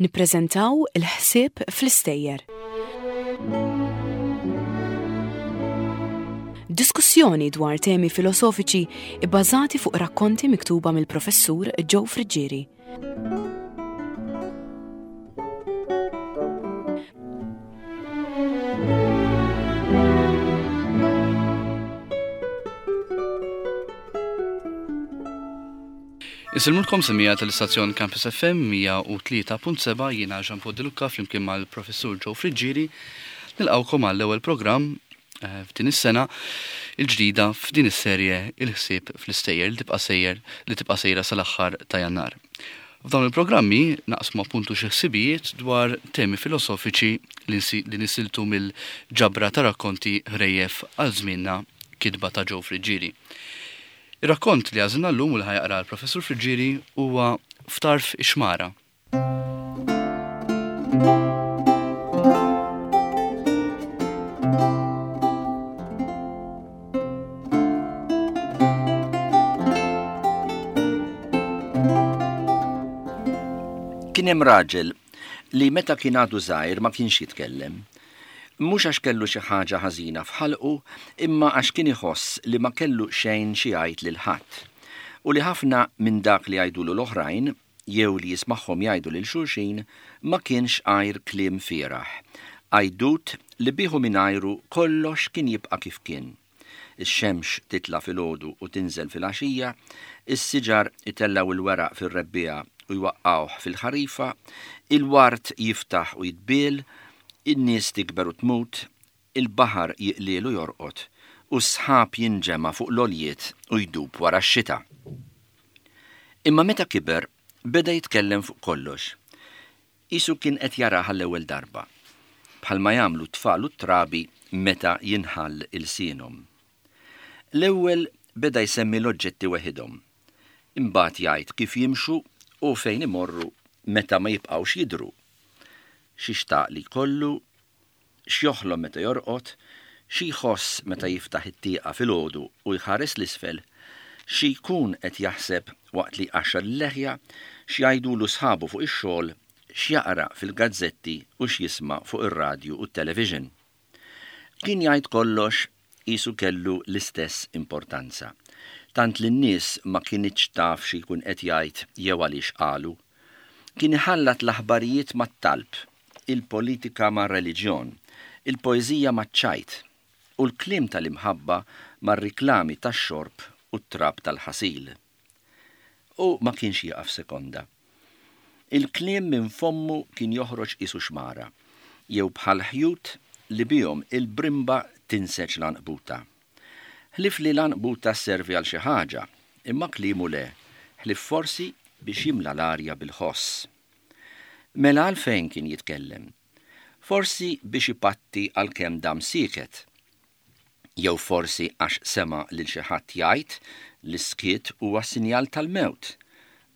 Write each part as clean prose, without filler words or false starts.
Nippreżentaw il-ħsieb fl-istejjer. Diskussjoni dwar temi filosofiċi ibbażati fuq rakkonti miktuba mill-Professur Joe Friggieri. Insellmulkom semmiegħa tal-istazzjon Campus FM 103.7 jiena Jean Paul De Lucca flimkien mal-Professur Joe Friggieri nilqgħukom għall-ewwel programm eh, f'din is-sena il-ġdida f'din is-serje Il-ħsieb fl-istejjer li tibqa' sejjer li tibqa' sejra sal-aħħar ta' Jannar. F'dawn il-programmi naqsmu appuntu xi ħsibijiet dwar temi filosofiċi li nisiltu mill-ġabra ta' rakkonti ħrejjef għal żmienna kitba ta' Joe Friggieri. Ir-rakkont li għażilna llum u li ħa jaqra l-Professur Friggieri huwa F'Tarf ix-Xmara. Kien hemm raġel li meta kien għadu żgħir ma kienx jitkellem. Mhux għax kellu xi ħaġa ħażina f'ħalqu imma għax kien iħoss li ma kellu xejn xi jgħid lil ħadd. U li ħafna minn dak li jgħidulu l-oħrajn, jew li jismagħhom jgħidu lil xulxin, ma kienx għajr kliem fieragħ, għajdut li bih u mingħajru kollox kien jibqa' kif kien. Ix-xemx titla' filgħodu u tinżel filgħaxija, is-siġar itellgħu l-weraq fir-rebbiegħa u jwaqqgħuh fil-ħarifa, il-ward jiftaħ u jitbiel, in-nies tikber u tmut, il-baħar jiqliel u jorqod, u s-sħab jinġema' fuq l-għoljiet u jdub wara x-xita. Imma meta kiber, beda jitkellem fuq kollox. Qisu kien qed jarah għall-ewwel darba, bħalma jagħmlu t-tfal u t-trabi meta jinħall ilsienhom. L-ewwel beda jsemmi l-oġġetti weħidhom, imbagħad jgħid kif jimxu u fejn imorru meta ma jibqgħux jidhru. Xi xtaq li jkollu, x'joħlom meta jorqod, xi jħoss meta jiftaħ it-tieqa filgħodu u jħares 'l isfel, xi jkun qed jaħseb waqt li jqaxxar il-leħja, x'jgħidulu sħabu fuq ix-xogħol, x'jaqra fil-gazzetti u x'jisma' fuq ir-radju u t-televixin. Kien jgħid kollox qisu kellu l-istess importanza, tant li n-nies ma kinitx taf xi jkun qed jgħid jew għaliex qalu. Kien iħallat l-aħbarijiet mat-talb, il-politika mar-reliġjon, il-poeżija maċ-ċajt, u l-kliem tal-imħabba mar-riklami tax-xorb u t-trab tal-ħasil. U ma kienx jieqaf sekonda. Il-kliem minn fommu kien joħroġ qisu xmara, jew bħal ħjut li bihom il-brimba tinseġ l-għanqbuta. Ħlief li l-għanqbuta sservi għal xi ħaġa, imma kliemu le, ħlief forsi biex jimla l-arja bil-ħoss. Mela għalfejn kien jitkellem? Forsi biex ipatti għal kemm dam sieket. Jew forsi għax sema' lil xi ħadd jgħid li s-skiet huwa sinjal tal-mewt,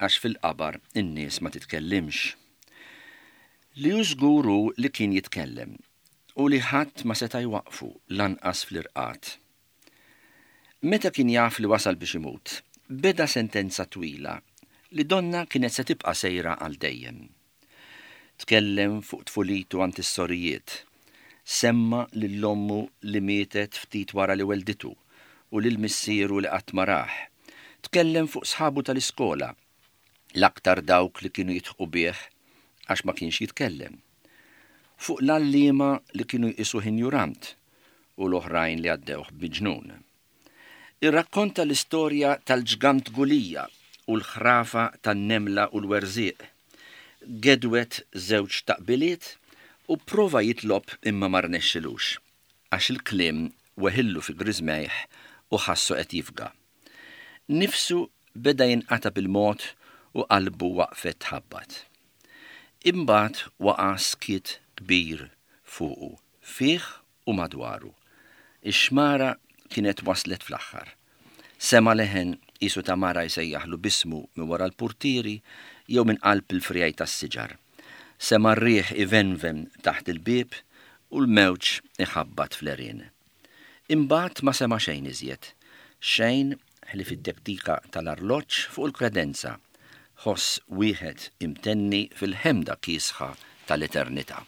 għax fil-qabar in-nies ma titkellimx. Li hu żgur hu li kien jitkellem, u li ħadd ma seta' jwaqqfu lanqas fl-irqad. Meta kien jaf li wasal biex imut, beda sentenza twila li donnha kienet se tibqa' sejra għal dejjem. Tkellem fuq tfulitu għand is-sorijiet. Semma lil ommu li mietet ftit wara li wellditu u lil missieru li qatt ma rah. Tkellem fuq sħabu tal-iskola, l-aktar dawk li kienu jidħqu bih għax ma kienx jitkellem. Fuq l-għalliema li kienu jqisuh injurant u l-oħrajn li għaddewh b'miġnun. Irrakkonta l-istorja tal-ġgant Gulija u l-ħrafa tan-nemla u l-werżieq. Gedwed żewġ taqbiliet u pprova jitlob imma ma rnexxilux, għax il-kliem weħillu fi griżmejh u ħassu qed jifga. Nifsu beda jinqata' bil-mod u qalbu waqfet tħabbat. Imbagħad waqa' skiet kbir fuqu, fih u madwaru. Ix-xmara kienet waslet fl-aħħar. Sema' leħen qisu ta' mara jsejjaħlu b'ismu minn wara l-purtieri jew minn qalb il-friegħi tas-siġar. Sema' r-riħ ivenven taħt il-bieb u l-mewġ iħabbat fl-għerien. Imbagħad ma sema' xejn iżjed. Xejn ħlief it-tektika tal-arloġġ fuq il-kredenza. ħoss wieħed imtenni fil-ħemda kiesħa tal-eternità.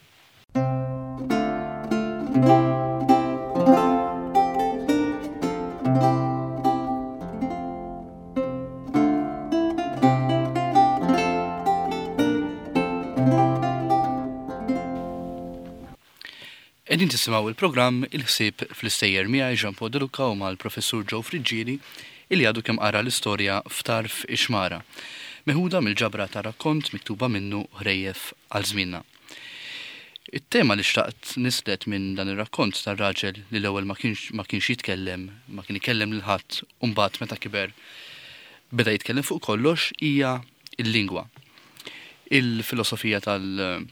Qegħdin tisimgħu il-programm Il-Ħsieb fl-Istejjer miegħi Jean Paul De Luca u mal-Professur Joe Friggieri illi għadu kemm qara l-istorja F'Tarf ix-Xmara, meħuda mill-ġabra ta' rakkont miktuba minnu Ħrejjef għal Żmienna. It-tema li xtaqt nislet minn dan ir-rakkont tar-raġel li l-ewwel ma kienx ma kienx jitkellem, ma kien ikellem lil ħadd u mbagħad meta kiber beda jitkellem fuq kollox hija l-lingwa. Il-filosofija tal-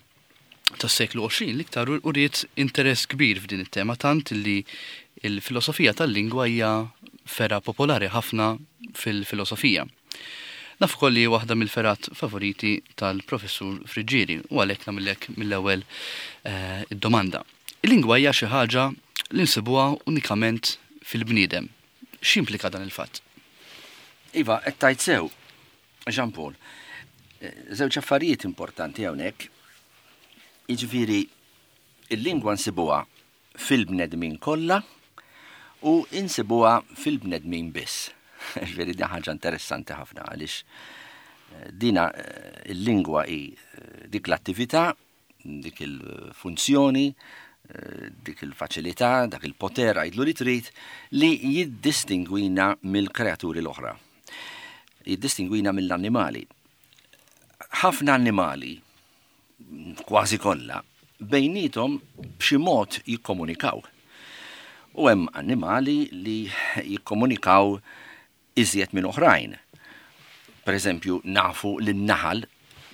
tas-seklu 20 l-iktar uriet interess kbir f'din it-tema tant li l-filosofija tal-lingwa hija fergħa popolari ħafna fil-filosofija. Naf ukoll li waħda mill-fergħat favoriti tal-Professur Friggieri u għalhekk nagħmillek mill-ewwel eh, id-domanda. Il-lingwa hija xi ħaġa li nsibuha unikament fil-bniedem. X'jimplika dan il-fatt? Iva, qed tgħid sew, Jean Paul, żewġ affarijiet importanti hawnhekk. Jiġifieri il-lingwa nsibuha fil-bnedmin kollha u insibuha fil-bnedmin biss. Ġifieri din ħaġa interessanti ħafna għaliex eh, dina eh, il-lingwa hi eh, dik l-attività dik il-funzjoni, dik il-faċilità, dak il-poter, għidlu li trid, li jiddistingwina mill-kreaturi l-oħra. Jiddistingwina mill-annimali. Ħafna annimali, kważi kollha, bejnietom b'xi mod jikkomunikaw. U hemm annimali li jikkomunikaw iżjed minn oħrajn. Per eżempju, nafu li n-naħal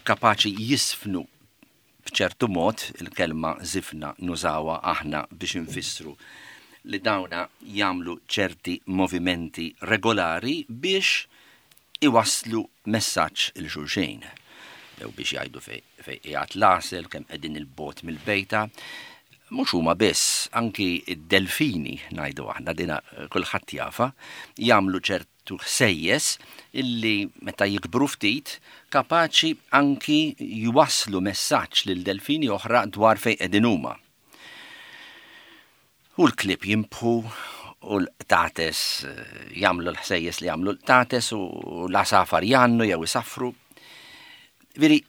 kapaċi jisfnu b'ċertu mod, il-kelma żifna nużawha aħna biex infissru li dawna jagħmlu ċerti movimenti regolari biex iwasslu messaġġ 'il xulxin. Jew biex jgħidu fejn qiegħed l-għasel, kemm qegħdin 'il bogħod mill-bejta. Mhux huma biss, anki d-delfini, ngħidu aħna, dina kulħadd jafha, jagħmlu ċertu ħsejjes illi meta jikbru ftit kapaċi anki jwasslu messaġġ lil delfini oħra dwar fejn qegħdin huma. U l-klieb jinbħu u l-qtates jagħmlu l-ħsejjes li jagħmlu l-qtates u l-għasafar jgħannu jew isaffru. Veri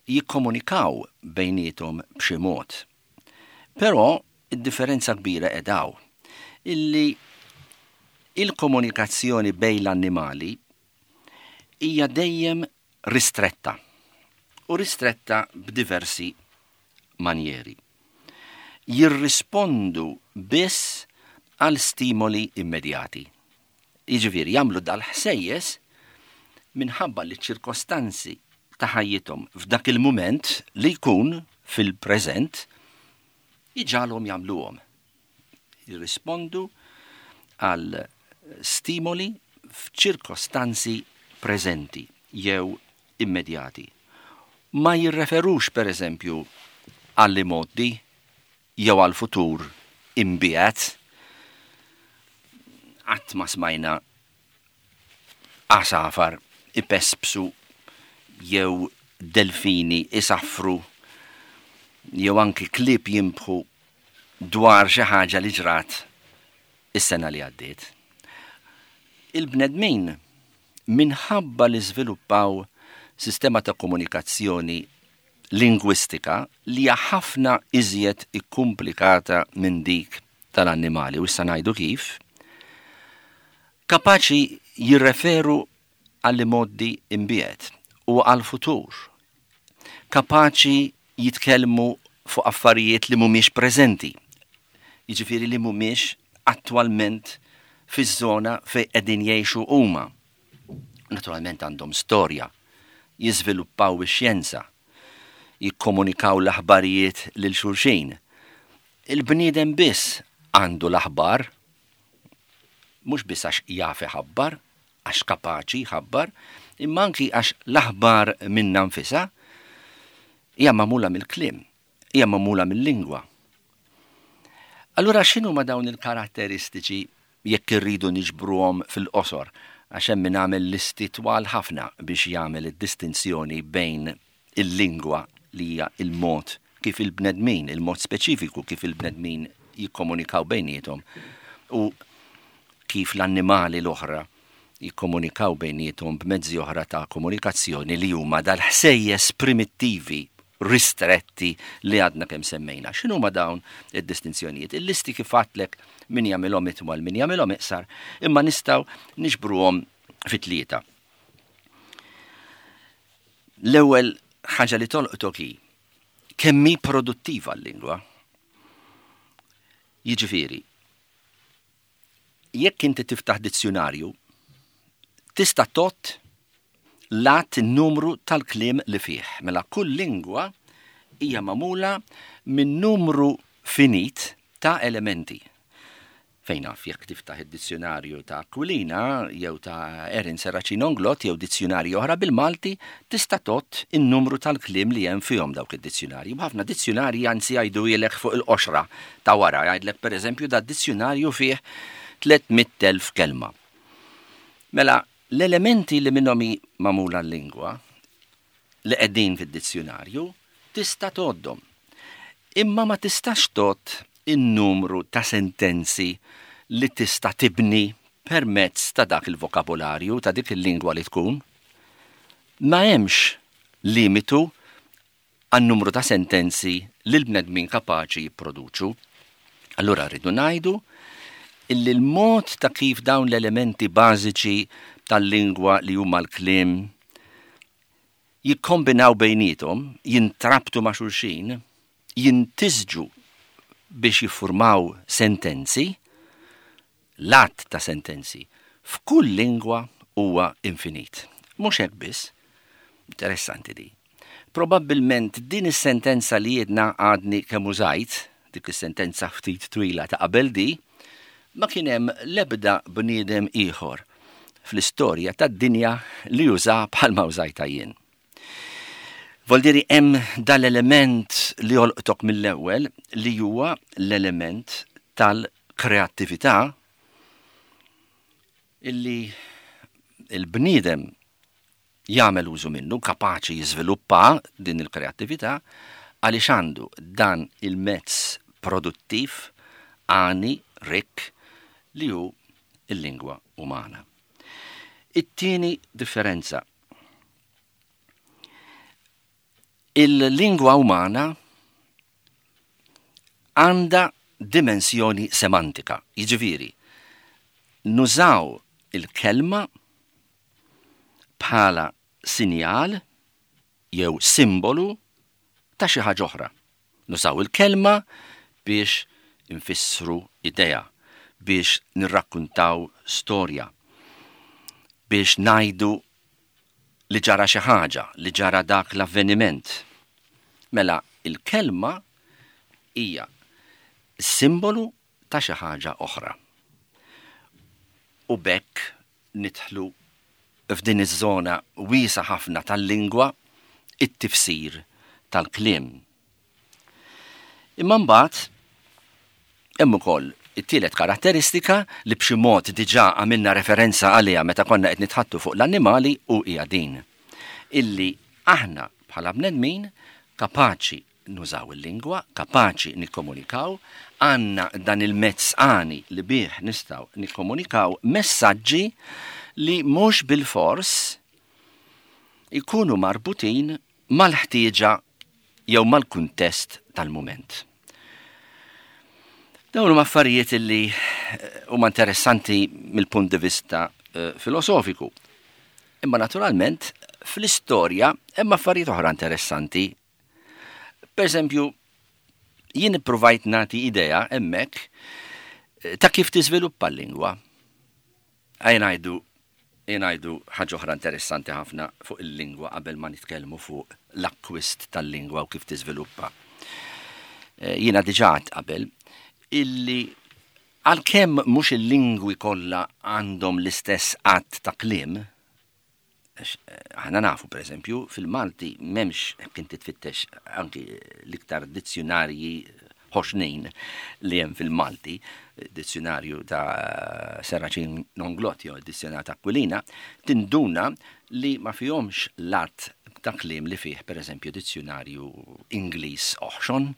jikkomunikaw bejniethom b'xi mod. Però id-differenza kbira qiegħda hawn, illi il-komunikazzjoni bejn l-annimali hija dejjem ristretta u ristretta b'diversi manjeri. Jirrispondu biss għal stimoli immedjati. Jiġifieri jagħmlu dal-ħsejjes minħabba li ċ-ċirkostanzi ta' ħajjithom f'dak il-mument li jkun fil-preżent iġagħalhom jagħmluhom. Jirrispondu għal stimoli f'ċirkostanzi preżenti jew immedjati. Ma jirreferux pereżempju għall-imgħoddi jew għall-futur imbiegħed. Qatt ma smajna għasafar ipespsu jew delfini isaffru jew anki klieb jinbħu dwar xi ħaġa li ġrat is-sena li għaddiet. Il-bnedmin minħabba li żviluppaw sistema ta' komunikazzjoni lingwistika li hija ħafna iżjed ikkumplikata minn dik tal-annimali, u issa ngħidu kif, kapaċi jirreferu għall-imgħoddi imbiegħed u għall-futur, kapaċi jitkellmu fuq affarijiet li mhumiex preżenti, jiġifieri li mhumiex attwalment fiż-żona fejn qegħdin jgħixu huma. Naturalment għandhom storja, jiżviluppaw ix-xjenza, jikkomunikaw l-aħbarijiet lil xulxin. Il-bniedem biss għandu l-aħbar, mhux biss għax jaf iħabbar, għax kapaċi jħabbar, imma anki għax l-aħbar minnha nfisha hija magħmula mill-kliem, hija magħmula mill-lingwa. Allura x'inhuma dawn il-karatteristiċi jekk irridu niġbruhom fil-qosor? Għax hemm min għamel listi twal ħafna biex jagħmel id-distinzjoni bejn il-lingwa li hija il-mod kif il-bnedmin, il-mod speċifiku kif il-bnedmin jikkomunikaw bejniethom u kif l-annimali l-oħra jikkomunikaw bejniethom b'mezzi oħra ta' komunikazzjoni li huma dal-ħsejjes primittivi ristretti li għadna kemm semmejna. X'inhuma dawn id-distinzjonijiet? Il-listi kif għedtlek min jagħmilhom itwal, min jagħmilhom iqsar, imma nistgħu niġbruhom fi tlieta. L-ewwel ħaġa li tolqtok hi kemm hi produttiva l-lingwa. Jiġifieri, jekk inti tiftaħ dizzjunarju, tista' tgħodd l-għadd in-numru tal-kliem li fih. Mela kull lingwa hija magħmula minn numru finit ta' elementi. Fejn naf jekk tiftaħ id-dizzjunarju ta' Aquilina jew ta' Erin Serracino Inglott jew dizzjunarji oħra bil-Malti, tista' tgħodd in-numru tal-kliem li hemm fihom dawk id-dizzjunarji. B'ħafna dizzjunarji anzi jgħiduhielek fuq il-qoxra ta' wara, jgħidlek pereżempju dad-dizzjunarju fih 300,000 kelma. Mela, l-elementi li minnhom hi magħmula l-lingwa li qegħdin fid-dizzjunarju tista' tgħoddhom. Imma ma tistax tgħodd in-numru ta' sentenzi li tista' tibni permezz ta' dak il-vokabolarju, ta' dik il-lingwa li tkun. Ma hemmx limitu għan-numru ta' sentenzi li l-bnedmin kapaċi jipproduċu. Allura rridu ngħidu illi l-mod ta' kif dawn l-elementi bażiċi tal-lingwa li huma l-kliem jikkombinaw bejniethom, jintrabtu ma' xulxin, jintisġu biex jiffurmaw sentenzi, l-għadd ta' sentenzi f'kull lingwa huwa infinit. Mhux hekk biss, interessanti di. Probabbilment din is-sentenza li jiedna għadni kemm użajt, dik is-sentenza ftit twila ta' qabel di, ma kien hemm l-ebda bniedem ieħor fl-istorja tad-dinja li uża bħalma użajtha jien. Voldiri hemm dal-element li jolqtok mill-ewwel li huwa l-element tal-kreattività illi il-bniedem jagħmel użu minnu, kapaċi jiżviluppa din il-kreattività għaliex għandu dan il-mezz produttiv għani rikk li hu il-lingwa umana. It-tieni differenza. Il-lingwa umana għandha dimensjoni semantika, jiġifieri nużaw il-kelma bħala sinjal jew simbolu ta' xi ħaġa oħra. Nużaw il-kelma biex infissru idea, biex nirrakkuntaw storja, biex ngħidu li ġara xi ħaġa, li ġara dak l-avveniment. Mela il-kelma hija simbolu ta' xi ħaġa oħra. U b'hekk nidħlu f'din iż-żona wiesgħa ħafna tal-lingwa, it-tifsir tal-kliem. Imma mbagħad hemm ukoll it-tielet karatteristika li b'xi mod diġà għamilna referenza għaliha meta konna qed nitħattu fuq l-annimali u hija din. Illi aħna bħala bnedmin kapaċi nużaw il-lingwa, kapaċi nikkomunikaw, għandna dan il-mezz għani li bih nistgħu nikkomunikaw messaġġi li mhux bilfors ikunu marbutin mal-ħtieġa jew mal-kuntest tal-mument. Dawn huma affarijiet li eh, huma interessanti mill-punt di vista eh, filosofiku. Imma naturalment fl-istorja hemm affarijiet oħra interessanti Per eżempju, jien ippruvajt nagħti idea hemmhekk eh, ta' kif tiżviluppa l-lingwa. Ejja ngħidu ngħidu ħaġa oħra interessanti ħafna fuq il-lingwa qabel ma nitkellmu fuq l-akkwist tal-lingwa u kif tiżviluppa. Eh, jiena diġà qabel illi għalkemm mhux il-lingwi kollha għandhom l-istess għadd ta' kliem, Aħna nafu, per eżempju, fil-Malti m'hemmx, jekk inti tfittex anki l-iktar dizzjunarji ħoxnin li hemm fil-Malti, dizzjonarju ta' Serracin Nonglott jew dizzjonarju ta' Aquilina, tinduna li ma fihomx l-għadd ta' kliem li fih pereżempju dizzjonarju Ingliż oħxon.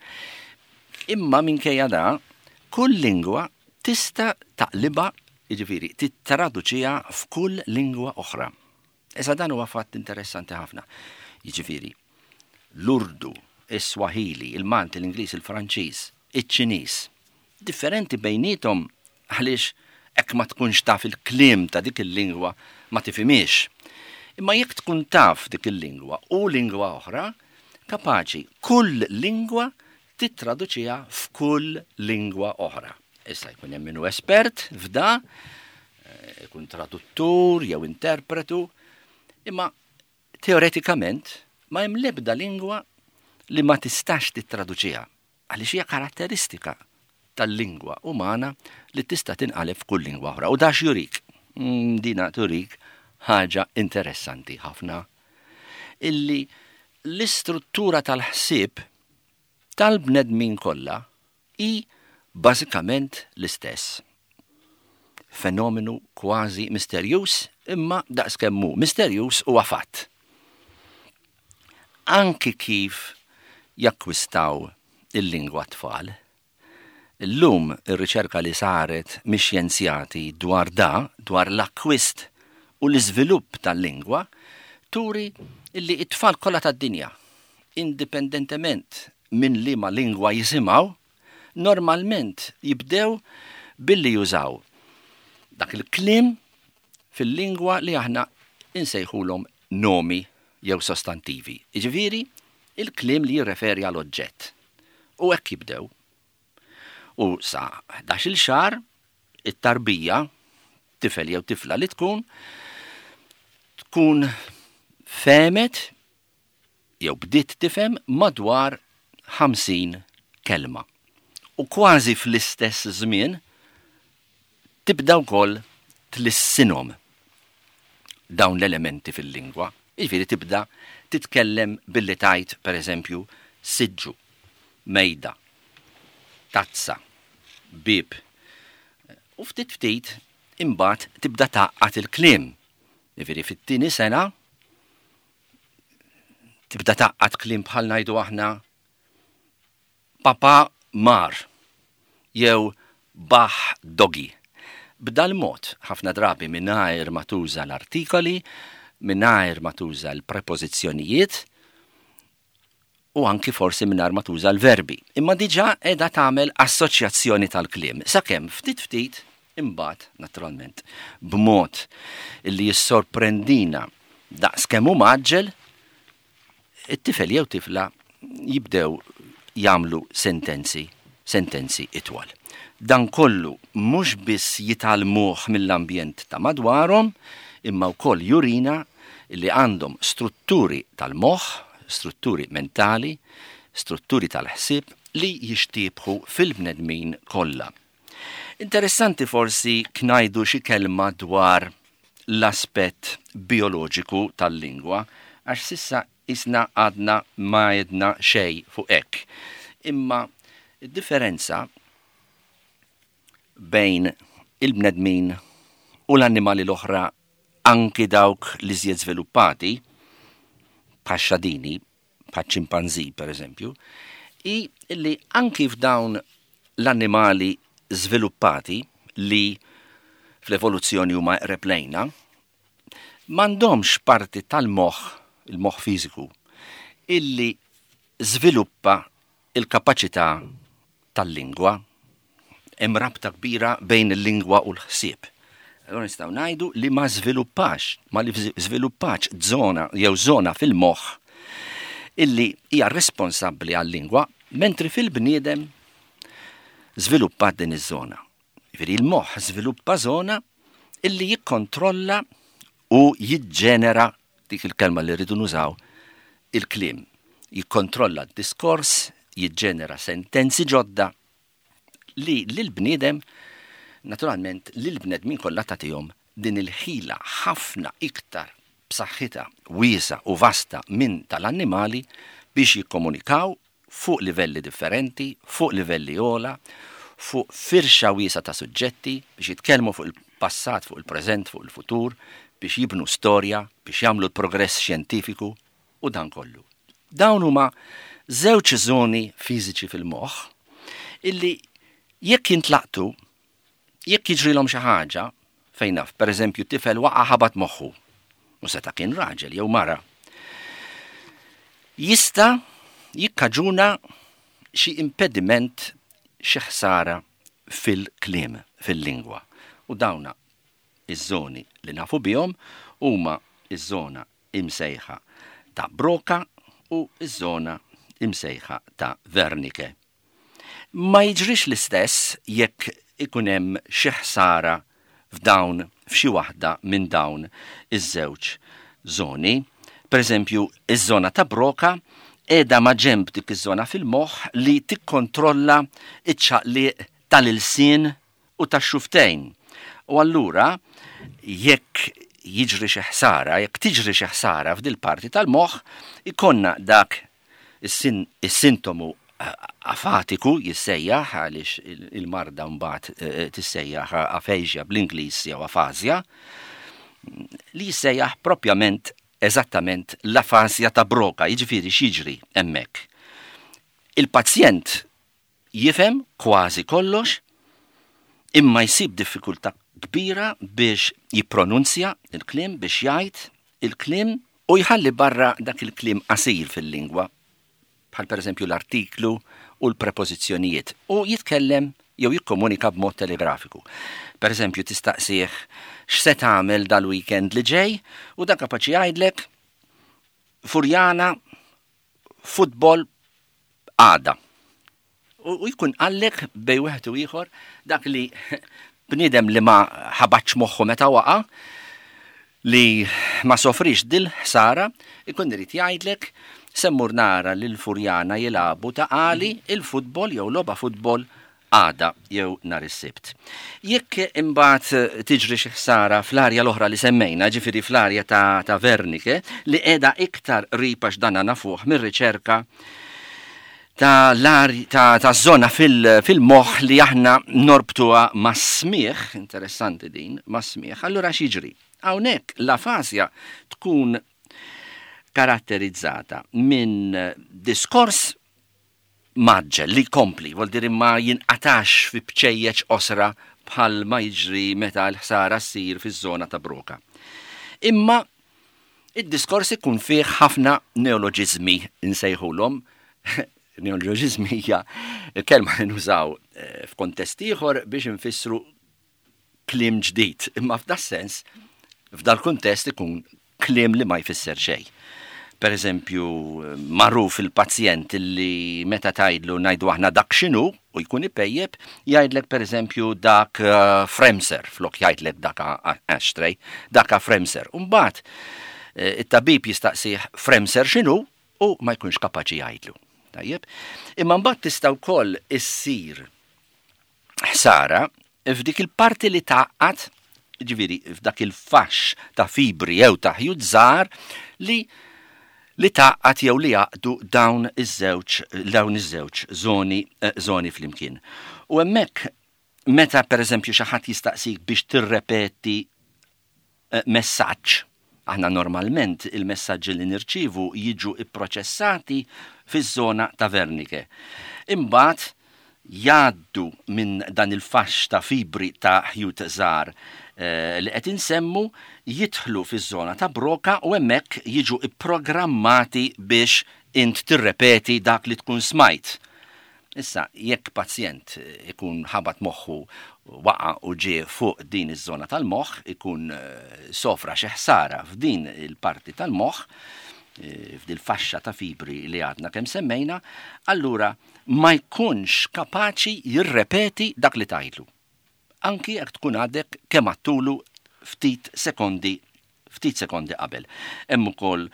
Imma minkejja da, kull lingwa tista' taqlibha, jiġifieri tittraduċiha f'kull lingwa oħra. Issa dan huwa fatt interessanti ħafna. Jiġifieri, l-Urdu, is-Swahili, il-Malti, l-Ingliż, il-Franċiż, iċ-Ċiniż, differenti bejniethom għaliex hekk ma tkunx taf il-kliem ta' dik il-lingwa ma tifhimhiex. Imma jekk tkun taf dik il-lingwa u lingwa oħra, kapaċi kull lingwa tittraduċiha f'kull lingwa oħra. Issa jkun hemm min hu espert f'da, eh, ikun traduttur jew interpretu, imma teoretikament ma hemm l-ebda lingwa li ma tistax tittraduċiha għaliex hija karatteristika tal-lingwa umana li tista' tinqaleb f'kull lingwa oħra. U dax jurik, mm, dina turik ħaġa interessanti ħafna illi l-istruttura tal-ħsieb tal-bnedmin kollha hi bażikament l-istess. Fenomenu kważi misterjuż imma daqskemm hu misterjuż huwa fatt. Anki kif jakkwistaw il-lingwa t-tfal, Illum ir-riċerka li saret mix-xjenzjati dwar da, dwar l-akkwist u l-iżvilupp tal-lingwa, turi illi t-tfal kollha tad-dinja, indipendentement minn liema lingwa jisimgħu, normalment jibdew billi jużaw dak il-kliem fil-lingwa li aħna insejħulhom nomi jew sostantivi, jiġifieri il-kliem li jirreferi għal oġġett. U hekk jibdew. U sa 11-il xahar it-tarbija, tifel jew tifla li tkun, tkun fehmet jew bdiet tifhem madwar 50 kelma. U kważi fl-istess żmien tibda wkoll tlissinhom dawn l-elementi fil-lingwa. Jiġifieri tibda titkellem billi tgħid pereżempju siġġu, mejda, tazza, bieb. U ftit ftit imbagħad tibda tgħaqqad il-kliem. Jiġifieri fit-tieni sena tibda tgħaqqad kliem bħal ngħidu aħna Papa mar jew baħ doggy. B'dal-mod, ħafna drabi mingħajr ma tuża l-artikoli, mingħajr ma tuża l-prepożizzjonijiet u anki forsi mingħajr ma tuża l-verbi. Imma diġà qiegħda tagħmel assoċjazzjoni tal-kliem, sakemm ftit ftit imbagħad, naturalment, b'mod li jissorprendina daqs kemm hu mgħaġġel, it-tifel jew tifla jibdew jagħmlu sentenzi, sentenzi itwal. Dan kollu mhux biss jitgħallmuh mill-ambjent ta' madwarhom, imma wkoll jurina li għandhom strutturi tal-moħħ, strutturi mentali, strutturi tal-ħsieb li jixtiebħu fil-bnedmin kollha. Interessanti forsi knajdu xi kelma dwar l-aspett bijoloġiku tal-lingwa għax s'issa qisna għadna ma għedna xejn fuq hekk. Imma d-differenza bejn il-bnedmin u l-annimali l-oħra anki dawk l-iżjed żviluppati, bħax-xadini, bħaċ-ċimpanżì pereżempju, hi li anki f'dawn l-annimali żviluppati li fl-evoluzzjoni huma eqreb lejna, m'għandhomx parti tal-moħħ, il-moħħ fiżiku, illi żviluppa il-kapaċità tal-lingwa. Hemm rabta kbira bejn il-lingwa u l-ħsieb. Allura nistgħu ngħidu li ma żviluppax, ma li żviluppax żona jew żona fil-moħħ illi hija responsabbli għal-lingwa, mentri fil-bniedem żviluppat din iż-żona. Jiġifieri l-moħħ żviluppa żona illi jikkontrolla u jiġġenera dik il-kelma li rridu nużaw il-kliem. Jikkontrolla d-diskors, jiġġenera sentenzi ġodda li lill-bniedem, naturalment lill-bnedmin kollha tagħtihom din il-ħila ħafna iktar b'saħħitha, wiesgħa u vasta minn tal-annimali biex jikkomunikaw. fuq livelli differenti, fuq livelli ogħla, fuq firxa wiesgħa ta' suġġetti, biex jitkellmu fuq il-passat, fuq il-preżent, fuq il-futur, biex jibnu storja, biex jagħmlu l-progress xjentifiku u dan kollu. Dawn huma żewġ żoni fiżiċi fil-moħħ illi jekk jintlaqtu, jekk jiġrilhom xi ħaġa, fejn naf, pereżempju tifel waqa' ħabat moħħu, u seta' kien raġel jew mara, jista' jikkaġuna xi impediment, xi ħsara fil-kliem, fil-lingwa. U dawna iż-żoni li nafu bihom huma iż-żona imsejħa ta' Broca u ż-żona imsejħa ta' Wernicke. Ma jiġrix l-istess jekk ikun hemm xi ħsara f'dawn f'xi waħda minn dawn iż-żewġ żoni. Pereżempju, iż-żona ta' Broca qiegħda maġenb dik iż-żona fil-moħħ li tikkontrolla ċ-ċaqliq tal-ilsien u tax-xufftejn. U allura jekk jiġri xi ħsara, jekk tiġri xi ħsara f'dil-parti tal-moħħ, ikollna dak Is-sintomu afatiku jissejjaħ għaliex il-marda mbagħad eh, tissejjaħ aphasia bl-Ingliż jew afasia, li jissejjaħ propjament eżattament l-afasja ta' Broca, jiġifieri x'jiġri hemmhekk. Il-pazjent Jifhem kważi kollox, imma jsib diffikultà kbira biex jippronunzja l-kliem, biex jgħid il-kliem u jħalli barra dak il-kliem qasir fil-lingwa, bħal pereżempju l-artiklu u l-prepożizzjonijiet, u jitkellem jew jikkomunika b'mod telegrafiku. Pereżempju tistaqsih x'se tagħmel dal-weekend li ġej u dan kapaċi jgħidlek Furjana futbol għada. U jkun qallek bej wieħed u ieħor dak li bniedem li ma ħabatx moħħu meta waqa' li ma sofrix dil-ħsara, ikun irid jgħidlek se mmur nara lil Furjana jilagħbu ta' qali il-futbol jew logħba futbol għada jew nhar is-Sibt. Jekk imbagħad tiġri xi ħsara fl-arja l-oħra li semmejna, ġifieri fl-arja ta', ta Wernicke, li qiegħda iktar qrib għax dan nafuh mir-riċerka ta' ta', ta zona fil-moħħ fil li aħna norbtuha mas-smigħ, interessanti din, mas-smigħ, allura x'jiġri? Hawnhekk l-afasja tkun karatterizzata minn diskors mgħaġġel li jkompli, vuol dire ma jinqatax fi bċejjeċ qosra bħal ma jiġri meta l-ħsara ssir fiż-żona ta' Broca. Imma id-diskors ikun fih ħafna neoloġiżmi nsejħulhom. Neoloġiżmi hija kelma li nużaw eh, f'kontest ieħor biex infissru kliem ġdid, imma f'das-sens, f'dal-kuntest ikun kliem li ma jfisser xejn. Per eżempju, magħruf il-pazjent li meta tgħidlu ngħidu aħna dak x'inhu u jkun ipejjep, jgħidlek per eżempju dak eh, fremser, flok jgħidlek dak ashtray, dak fremser. Umbagħad eh, it-tabib jistaqsih fremser x'inhu u ma jkunx kapaċi jgħidlu. Tajjeb? Imma mbagħad tista' wkoll issir ħsara f'dik il-parti li tgħaqqad, ġifieri f'dak il-faxx ta' fibri jew ta' ħjut żgħar li li tgħaqqad jew li jgħaqqdu dawn iż-żewġ dawn iż-żewġ żoni eh, żoni flimkien. U hemmhekk meta pereżempju xi ħadd jistaqsik biex tirrepeti eh, messaġġ. Aħna normalment il-messaġġi li nirċievu jiġu ipproċessati fiż-żona ta' Wernicke. Imbagħad jgħaddu minn dan il-faxx ta' fibri ta' ħjut żgħar eh, li qed insemmu jidħlu fiż-żona ta' Broca u hemmhekk jiġu ipprogrammati biex int tirrepeti dak li tkun smajt. Issa, jekk pazjent ikun ħabat moħħu, waqa' u ġie fuq din iż-żona tal-moħħ, ikun sofra xi ħsara f'din il-parti tal-moħħ, f'dil-faxxa ta' fibri li għadna kemm semmejna, allura ma jkunx kapaċi jirrepeti dak li tgħidlu. Anki jekk tkun għadek kemm għadtulu ftit sekondi ftit sekondi qabel. Hemm ukoll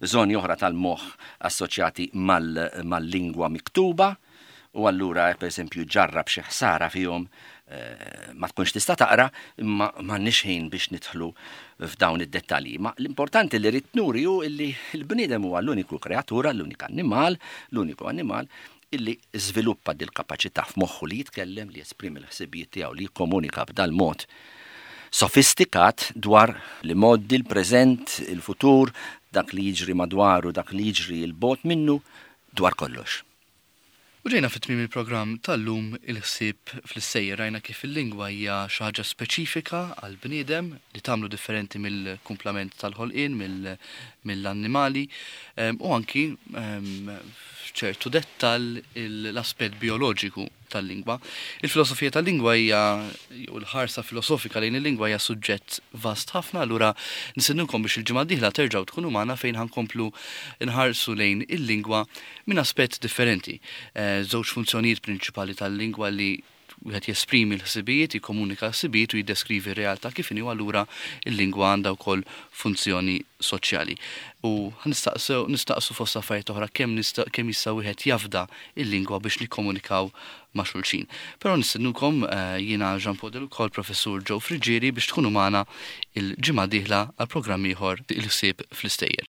żoni oħra tal-moħħ assoċjati mal-lingwa miktuba. U allura jekk pereżempju ġarrab xi ħsara fihom eh, ma tkunx tista' taqra imma m'għandniex ħin biex nidħlu f'dawn id-dettalji. Ma l-importanti li rrid nuri hu illi l-bniedem huwa l-uniku kreatura, l-unika annimal, l-uniku annimal illi żviluppa dil-kapaċità f'moħħu li jitkellem, li jesprimi l-ħsibijiet tiegħu, li jikkomunika b'dal-mod sofistikat dwar l-imgħoddi, l-preżent, il-futur, dak li jiġri madwaru, dak li jiġri 'l bogħod minnu, dwar kollox. U ġejna fi tmiem il-programm tal-lum Il-Ħsieb fl-Issejjer. Rajna kif il-lingwa hija xi ħaġa speċifika għall-bniedem li tagħmlu differenti mill-kumplament tal-ħolqien, mill-annimali u anki f'ċertu dettall l-aspett bijoloġiku tal-lingwa. Il-filosofija tal-lingwa hija jew il-ħarsa filosofika lejn il-lingwa hija suġġett vast ħafna, allura nistednukom biex il-ġimgħa d-dieħla terġgħu tkunu magħna fejn ħankomplu nħarsu lejn il-lingwa minn aspett differenti. Eh, żewġ funzjonijiet prinċipali tal-lingwa li wieħed jesprimi l-ħsibijiet, jikkomunika l-ħsibijiet u jiddeskrivi r-realtà kif inhi u allura l-lingwa għandha wkoll funzjoni soċjali. U nistaqsu nistaqsu fost affarijiet oħra kemm nista' kemm jista' wieħed jafda l-lingwa biex nikkomunikaw ma' xulxin. Però nistednukom eh, jiena Jean Paul Deluca u l-Professur Joe Friggieri biex tkunu magħna il-ġimgħa dieħla għal programm ieħor Il-ħsieb fl-istejjer.